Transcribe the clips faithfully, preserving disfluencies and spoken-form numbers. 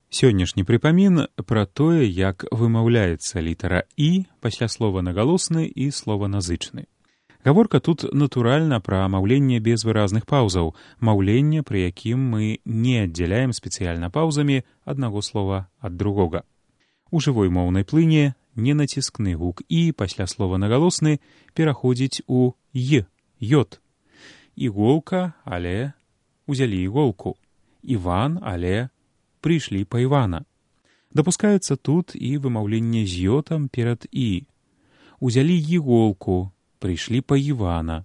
Сённяшні прыпамін пра тое, як вымаўляецца літара «і» пасля слова нагалосны і слова-назычны. Гаворка тут натуральна пра маўленне без выразных паўзаў, маўленне, пры якім мы не аддзяляем спецыяльна паўзамі аднаго слова ад другога. У жывой моўнай плыні ненаціскны гук «і» пасля слова нагалосны пераходзіць у «й», «йод». Іголка, але узялі іголку. Іван, але прыйшлі па Івана. Дапускаецца тут і вымаўленне з йотам перад «і». Узялі іголку, прыйшлі па Івана.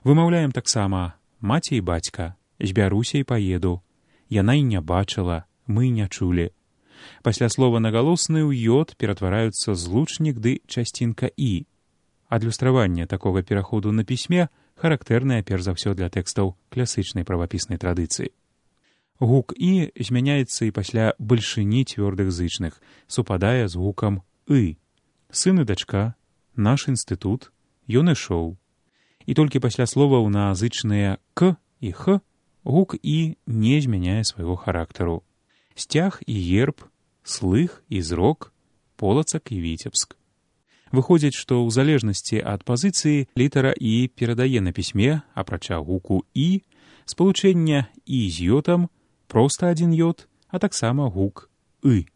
Вымаўляем таксама маці і бацька, збяруся і паеду. Яна і не бачыла, мы не чулі. Пасля слова нагалосны ў йод ператвараюцца злучнік ды часцінка «і». Адлюстраванне такога пераходу на пісьме характэрнае перш за ўсё для тэкстаў класычнай правапіснай традыцыі. Гук «і» змяняецца і пасля бальшыні цвёрдых зычных, супадае з гукам «ы». Сын і дачка, наш інстытут, ён ішоў. І толькі пасля словаў на зычныя «к» і «х» гук «і» не змяняе свайго характару. Сцяг і герб, слых і зрок, полацак і віцебск. Выходзіць, што ў залежнасці ад пазіцыі літара «і» перадае на пісьме, апрача гуку «і», спалучэння «і» з йотам, проста адзін йод, а таксама гук «ы».